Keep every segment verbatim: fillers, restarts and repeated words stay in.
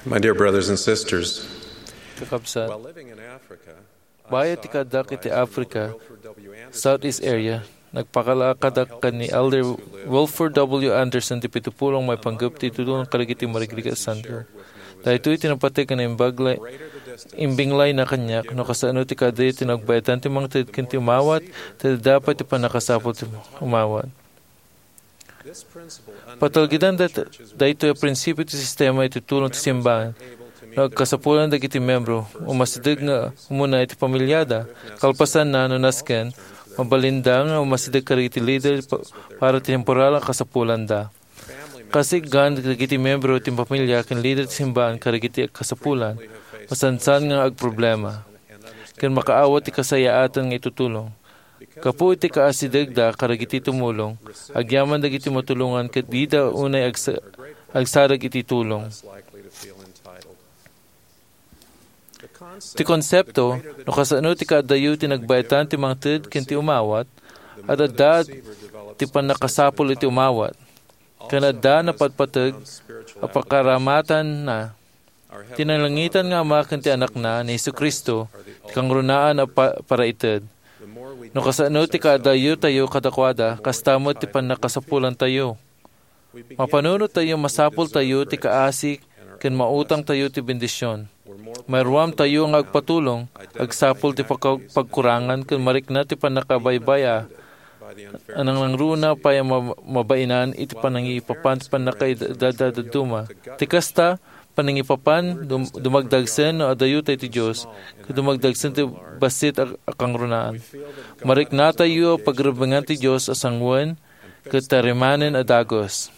My dear brothers and sisters, Kakabsat, while living in Africa, bayat ti kaaddak iti Africa, Southeast area, nagpakalakadak ken ni Elder Wilford W. Anderson ti pitupulong maipanggep ti tulong kadagiti marigrigat a santo. Daytoy ti napateg nga naimbagla-, imbinglayna kaniak no kasano ti kaadayo ti nagbaetan ti mangted ken ti umawat, ti adda pay ti pannakasapul ti umawat. Patalgeden dat-, daytoy a prinsipio ti sistema iti tulong ti simbahan. No agkasapulan dagiti membro, umasideg nga umuna iti pamiliada. Kalpasanna, no nasken, mabalinda nga umasideg kadagiti lider pa-, para ti temporal a kasapulanda. Kasiggan dagiti membro ti pamilya ken lider ti simbahan kadagiti kasapulan, masansan nga agproblema, ken makaawat ti kasayaatan nga itutulong. Gapu iti kaasidegda kadagiti tumulong, agyaman dagiti matulongan ket dida unay agsa-, agsarag iti tulong. Ti konsepto, no kasano ti kaadayo ti nagbaetan ti mangted ken ti umawat, ad-adda ti pannakasapul iti umawat, ken adda napatpateg a pakaramatanna. Ti nalangitan nga Ama ken ti Anakna, ni Jesu-Cristo, ti kangrunaan a pa-, paraited. No kasano ti kaadayotayo kadakuada, kasta met ti pannakasapulantayo. Mapanunottayo, masapultayo ti kaasi ken mautangtayo ti bendision. Mairuamtayo nga agpatulong, agsapul ti pagka-, pagkurangan ken marikna ti pannakabaybay-a. Nangruna pay a mab-, mabainan iti panangipapan ti pannakaidadaduma. Ti kasta, panangipapan, dum-, dumagdagsen no adayotay ti Dios, ket dumagdagsen ti bassit a, a kangrunaan. Mariknatayo a pagrebbengan ti Dios a sanguen, ket tarimanen a dagus.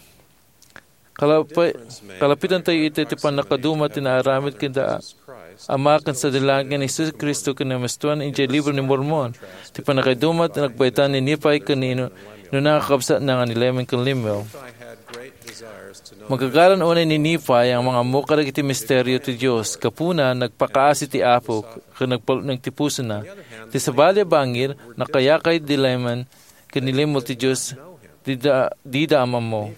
Kalapi-, kalapitantayo iti ti pannakaduma ti naaramid ken da Ama ken Sadilangit ni Jesu-Cristo ken namestuan idiay Libro ni Mormon, ti pannakaduma ti nagbaetan ni Nephi ken ni inu-, inuna nga kakabsatna nga ni Lemuel ken Lemuel. Magagaran unay ni Nephi a mangammo kadagiti misterio ti Dios. Gapuna, nagpakaasi ti Apo ken nagpalutneng ti pusona. Ti sabali a bangir, nakayakay ni Lemuel ken ni Lemuel ti Dios, dida, dida a maammo.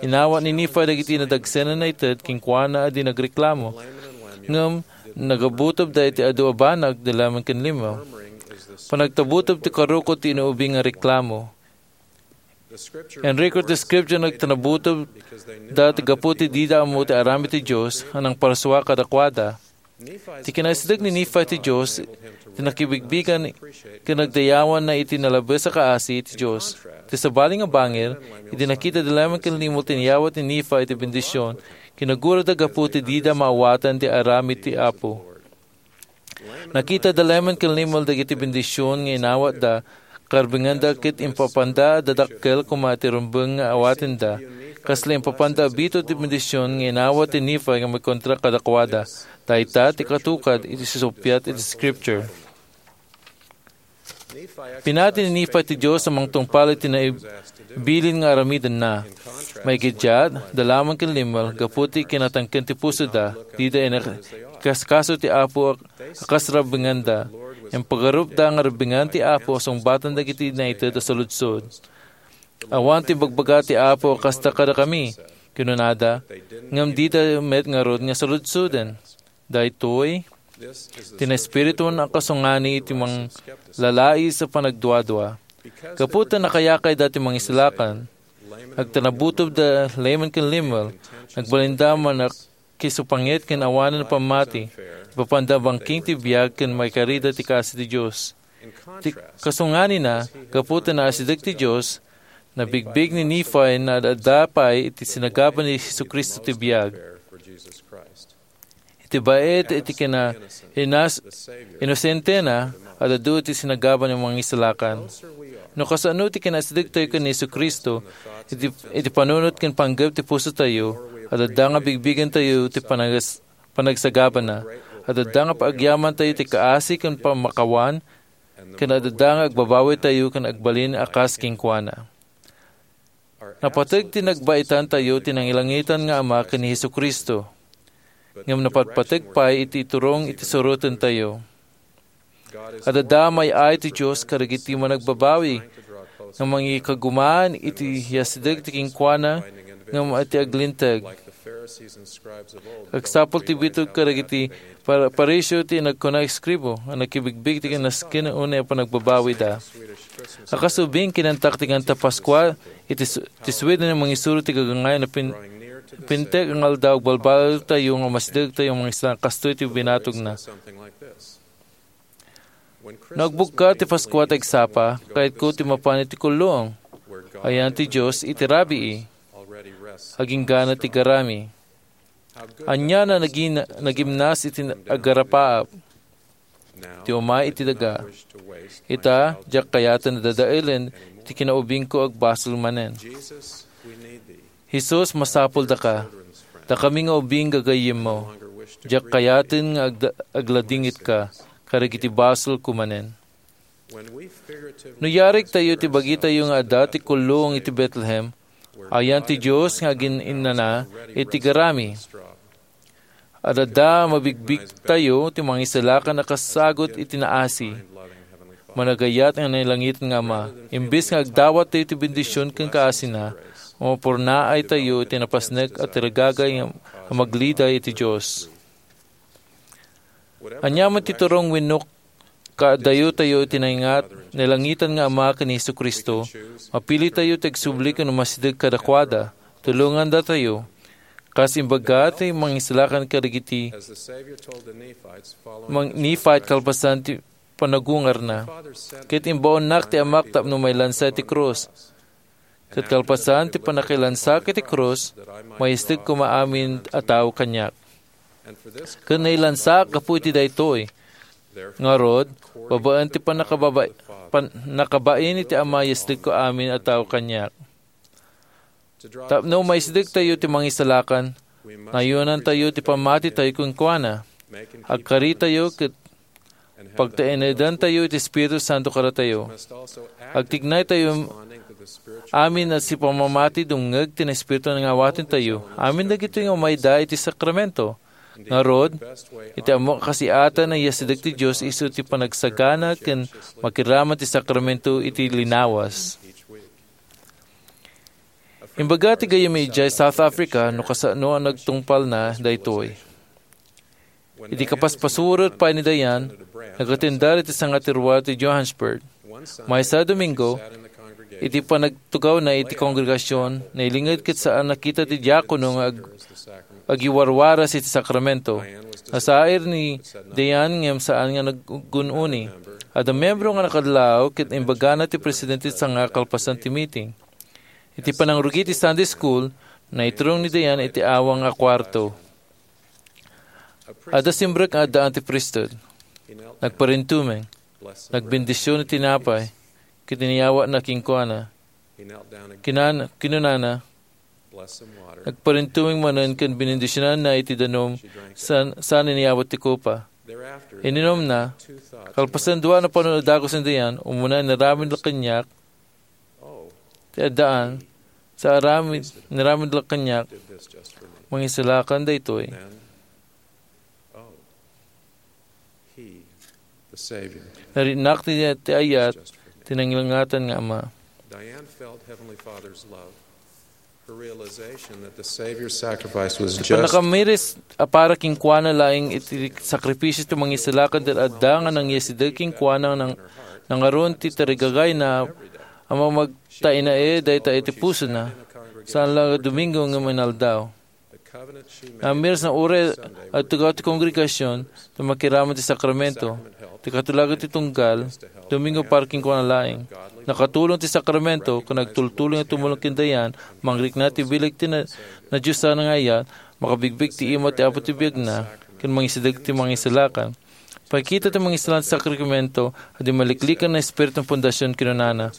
Inawat ni Nephi dagiti nadagsenanna a ited kenkuana a di nagreklamo. Ngem nagabutobda iti adu a banag ni Lemuel ken Lemuel. Panagtabuteb ti karukod ti inuubing nga reklamo. Inrecord ti Scripture nga nagtanabutobda gapu ti dida ammo ti aramid ti Dios a nangparsua kadakuada. Ti kinaasideg ni Nephi ti Dios, ti nakibigbigan ken nagdayawanna iti nalabes a kaasi ti Dios. Ti sabali nga bangir, idi nakita ni Lemuel ken Lemuel ti nayawat ni Nephi iti bendision, kinagurada gapu ti dida maawatan ti aramid ti Apo. Nakita ni Lemuel ken Lemuel dagiti bendision nga inawatda, karbenganda ket impapanda a dadakkel koma ti rumbeng nga awatenda, kasla impapanda a biit ti bendision nga inawat ni Nephi nga maikontra kadakuada. Dayta ti katukad iti sisuppiat iti Scripture. Pinati ni Nephi ti Dios a mangtungpal iti naibilin nga aramidenna. Maikiddiat, ni Lemuel ken Lemuel, gapu ti kinatangken ti pusoda, dida inkaskaso ti Apo a kas rabbenganda. Impagarupda nga rabbengan ti Apo a sungbatan dagiti naited a saludsod. Awan ti ibagbaga ti Apo a kasta kadakami, kinunada, ngem dida met ngarud nga saludsoden. Daytoy ti naespiritu a kasungani iti manglalais a panagduadua. Gapu ta nakayakayda ti mangisalakan, nagtanabutobda Lemuel ken Lemuel, nagbalinda a mannakisupangit ken awanen pammati, ipapanda a bangking ti biag ken maikarida ti kaasi ti Dios. Ti kasunganina, gapu ta naasideg ti Dios, nabigbig ni Nephi nga ad-adda pay iti sinagaba ni Jesu-Cristo ti biag. Iti baet iti kina-, inas-, inosentena, ad-adu iti sinagaba ni mangisalakan. No kasano ti kinaasidegtayo ken ni Jesu-Cristo, iti, iti panunot ken panggep ti pusotayo, ad-adda nga bigbigentayo ti panagas-, panagsagabana. Ad-adda nga paagyamantayo ti kaasi ken pamakawan, ken ad-adda nga agbabawitayo ken agbalin a kas kenkuana. Napateg ti nagbaetantayo ti nangilangitan nga Ama ken ni Jesu-Cristo, ngem napatpateg pay iti iturong iti surotentayo. Ad-adda may-ay ti Dios kadagiti managbabawi nga mangikagumaan iti yasideg ti kenkuana ngem iti aglinteg. Agsapul ti bitok kadagiti par-, Pariseo ti nagkuna eskribo a nakibigbig ti kinaskin unay a panagbabawida. A kas ubing, kinantak ti kanta Paskua iti s-, ti Sweden a mangisuro ti gagangayan a pin-, pintek nga aldaw, agbalbaliwtayo nga umasidegtayo nga mangisla kastoy ti binatogna. No agbukka ti Paskua ti agsapa, kayatko ti mapan iti kulluong. Ayan ti Dios iti rabii. Aginggana ti garami. Ania a nagin-, nagimnas iti agarapaap. Ti umay iti daga. Ita, diak kayaten a dadaelen ti kinaubingko agbasol manen. Jesus, masapuldaka. Dakami nga ubing gagayyemmo. Diak kayaten nga agda-, agladingitka kadagiti basolko manen. No yarigtayo ti bagitayo nga adda ti kulluong iti Betlehem, ayan ti Dios nga agin-innana iti garami. Adda mabigbigtayo ti mangisalakan a kasagut iti naasi. Managayat nga nailangitan nga Ama, imbes nga agdawat tayo ti bendision ken kaasina, mapurnaay tayo iti napasnek a tirgagay nga magliday iti Dios. Ania man ti turong wenno kaadayo tayo iti naingat, nailangitan nga Ama ken ni Jesu-Cristo, mapili tayo ti agsubli ken umasideg kadakuada. Tulongandatayo. Kas imbaga ti mangisalakan kadagiti mang-, Nephite kalpasan ti panagungarna. Ket imbaonnak ti Amak tapno mailansa iti krus. Ket kalpasan ti pannakailansaak iti krus, maisideg koma amin a tao kaniak. Ket nailansaak gapu iti daytoy. Ngarud, babaen ti pannakababa-, pannakabain iti Ama, isidegko amin a tao kaniak. Tapno maisidegtayo ti mangisalakan, nayonantayo ti pammatitayo kenkuana. Agkaritayo ket pagtaenedantayo iti Espiritu Santo kadatayo. Agtignaytayo amin a sipamamati dumngeg ti Espiritu nga awatentayo. Amin dagitoy nga umayda iti sakramento. Ngarud, iti ammok a kasiatan a iyasideg ti Dios isu ti panagsagana ken makiraman ti sakramento iti linawas. Imbaga ti gayyem idiay South Africa no kasano a nagtungpalna daytoy. Iti kapaspasuret pay ni Diane, nagatendar iti sanga ti rua ti Johannesburg. Maysa a Domingo, iti panagtugawna iti kongregasyon, nailinged ket saan nakita ti diakono nga ag-, agiwarwaras iti sakramento. Nasair ni Diane ngem saan nga naggun-uni. Adda miyembro nga nakadlaw ket imbagana ti presidente ti sanga kalpasan ti meeting. Iti panangrugi ti Sunday school, naiturong ni Diane iti awang a kuarto. Adda simrek nga addaan ti priesthood. Nagparintumeng, nagbendision iti tinapay, ket iniyawatna kenkuana. Kinan-, kinunana, nagparintumeng manen ken binendisionanna iti danum san, saan iniyawat ti kopa. Ininumna, kalpasan dua a napano a dagus ni Diane, umuna inaramid la kaniak, ti addaan, sa aramid, inaramid la kaniak, mangisalakan daytoy. He, the Savior. Naritnak ti, ti ayat, ti nangilngatan nga Ama. Diane felt Heavenly Father's love. Her realization that the Savior's sacrifice was just. Ti pannakamiris a para kenkuana laeng iti sakripisio ti mangisalakan ti adda nga nangiyasideg kenkuana nang, nangaron ti tarigagayna a mamagtainae dayta iti pusona. Saan la nga Domingo ngem inaldaw. Namiris nga uray agtugaw ti kongregasyon, ti makiraman ti sakramento, ti katulagan ti tunggal, Domingo para kenkuana laeng. Nakatulong ti sakramento, ken agtultuloy nga tumulong ken Diane, mangrikna ti bileg ti na-, nadiosan nga ayat, makabigbig ti ima ti Apo ti biagna, ken mangisideg ti mangisalakan. Pakita ti mangisalakan ti sakramento, a di maliklikan nga espiritu nga pundasyon, kinunana.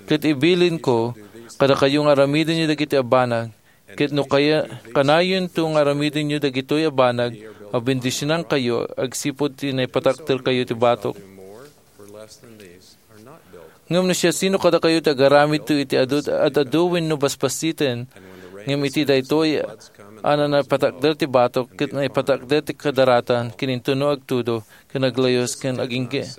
Ket ibilinko kadakayo nga aramidenyo dagiti a banag, ket no kaya-, kanayonto nga aramidenyo dagitoy a banag, mabendisionankayo agsipud ti naipatakderkayo ti batok. Ngem no siasino kadakayo ti agaramidto iti adu, ad-adu wenno basbasiten, ngem iti daytoy a naipatakder ti batok ket naipatakder ti kadaratan, ken intono agtudo ken aglayus ken agingga-,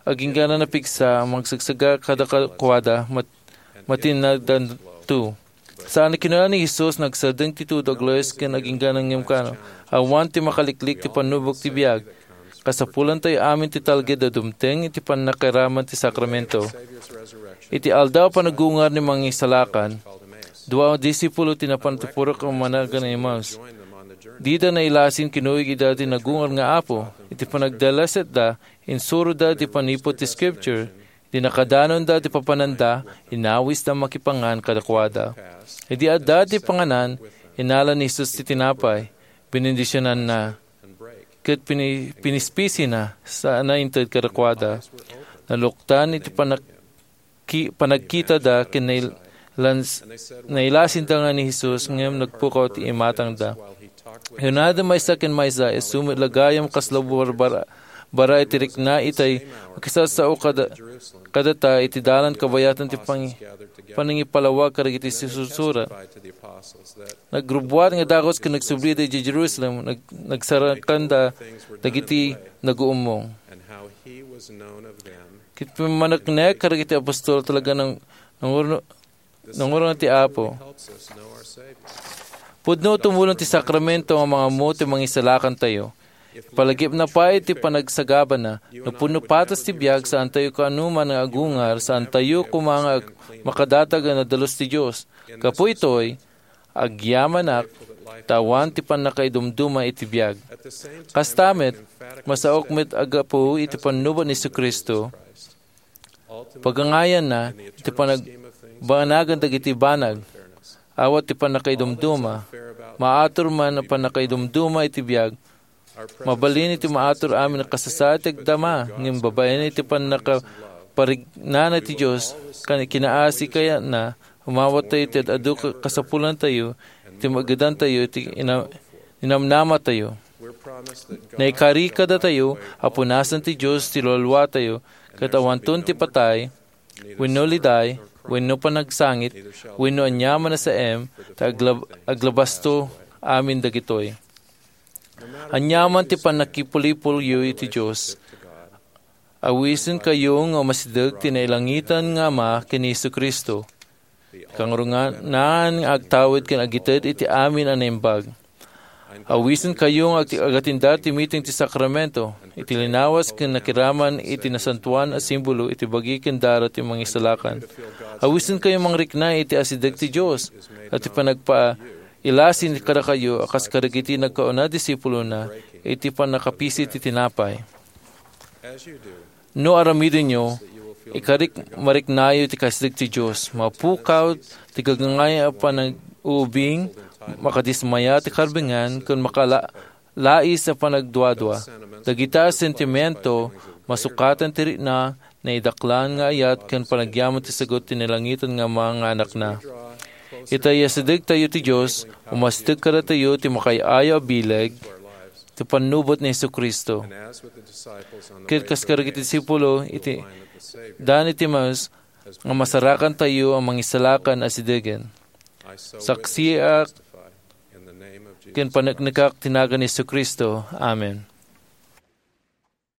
aginggana napigsa a magsagsaga kadakuada, mat-, matinnadanto. Saan a kinuna ni Jesus, "Nagsardeng ti tudo, aglues ken agingganan ngem kano, awan ti makaliklik ti pannubok ti biag." Kasapulantayo amin ti talged a dumteng iti pannakairaman ti sakramento. Iti aldaw a panagungar ni Mangisalakan, dua a disipulo ti napan ti purok a managan ni Emmaus. Dida nailasin kinuyog ida ti nagungar nga Apo. Iti panagdalasetda, insuroda ti panipud ti Scripture. Iti nakadanonda ti papananda, inawisda makipangan kadakuada. Idi adda ti panganan, inala ni Jesus ti tinapay, binendisionanna, ket pini-, pinispisina, sana inted kadakuada. Naluktan iti panak-, ki-, panagkitada ken nail-, lans-, nailasinda nga ni Jesus, ngem nagpukaw ti imatangda. Kinunada maysa ken maysa, "Isu met la gayam kasla barbara-, bara iti rikna itay makisassao kada-, kadata iti dalan kabayatan ti pangi-, panangipalawag kadagiti sisursurat." Nagrubbuat nga dagus ken nagsublida idiay Jerusalem, nag-, nagsarakanda dagiti naguummong. Ket pimmaneknek kadagiti apostol, talaga nang-, nangurno-, nangurno ti Apo. Pudno tumulong ti sakramento nga mangammo ti mangisalakantayo. Ipalagipna pay ti panagsagabana. No pudno patas ti biag, saantayo kaanoman nga agungar, saantayo koma nga ag-, makadatag a nadalus ti Dios. Gapu itoy, agyamanak, ta awan ti pannakaidumduma iti biag. Kasta met, masaok met a gapu iti pannubo ni Jesu-Cristo, pagangayanna iti panagbaanagan dagiti banag. Awan ti pannakaidumduma. Maatur man a pannakaidumduma iti biag. Mabalin iti maatur amin a kasasaad ti agdama, ngem babaen iti pannakaparignana ti Dios, kan kinaasi kayatna, umawattayo iti ad-adu ka-, kasapulantayo, iti maagedantayo, iti ina-, ninamnamatayo. Naikari kadatayo a punasen ti Dios ti lualuatayo, ket awanton ti patay, wenno liday, wenno panagsangit, wenno aniaman a saem, ta aglab-, aglabasto amin dagitoy. Aniaman ti pannakipulipulyo iti Dios, awisenkayo nga umasideg ti nailangitan nga Ama ken ni Jesu-Cristo. Kangrunaan nga agtawid ken agited iti amin a naimbag. Awisenkayo nga ag-, agatindar ti meeting ti sakramento, iti linawas ken nakiraman iti nasantoan a simbolo iti bagi ken dara ti Mangisalakan. Awisenkayo mangrikna iti asideg ti Dios, ket ti panagpa-, ilasin kadakayo a kas kadagiti nagkauna a disipulona iti pannakapisi ti tinapay. No aramidenyo, ikarik mariknayo ti kasideg ti Dios. Mapukaw ti gagangay a panag-uubing, makadismaya ti karbengan, ken makala-, lais a panagduadua. Dagita a sentimento, masukatan ti rikna, naidaklan nga ayat ken panagyaman ti sagut ti nailangitan nga Ama nga Anakna. Ita, iyasidegtayo ti Dios, umasideg kadatayo ti makaay-ayo a bileg ti pannubot ni Jesu-Cristo. Ket kas kadagiti disipulo iti dan iti Emmaus, nga masarakantayo a mangisalakan a sidegen. Saksiak ken paneknekak ti nagan ni Jesu-Cristo. Amen.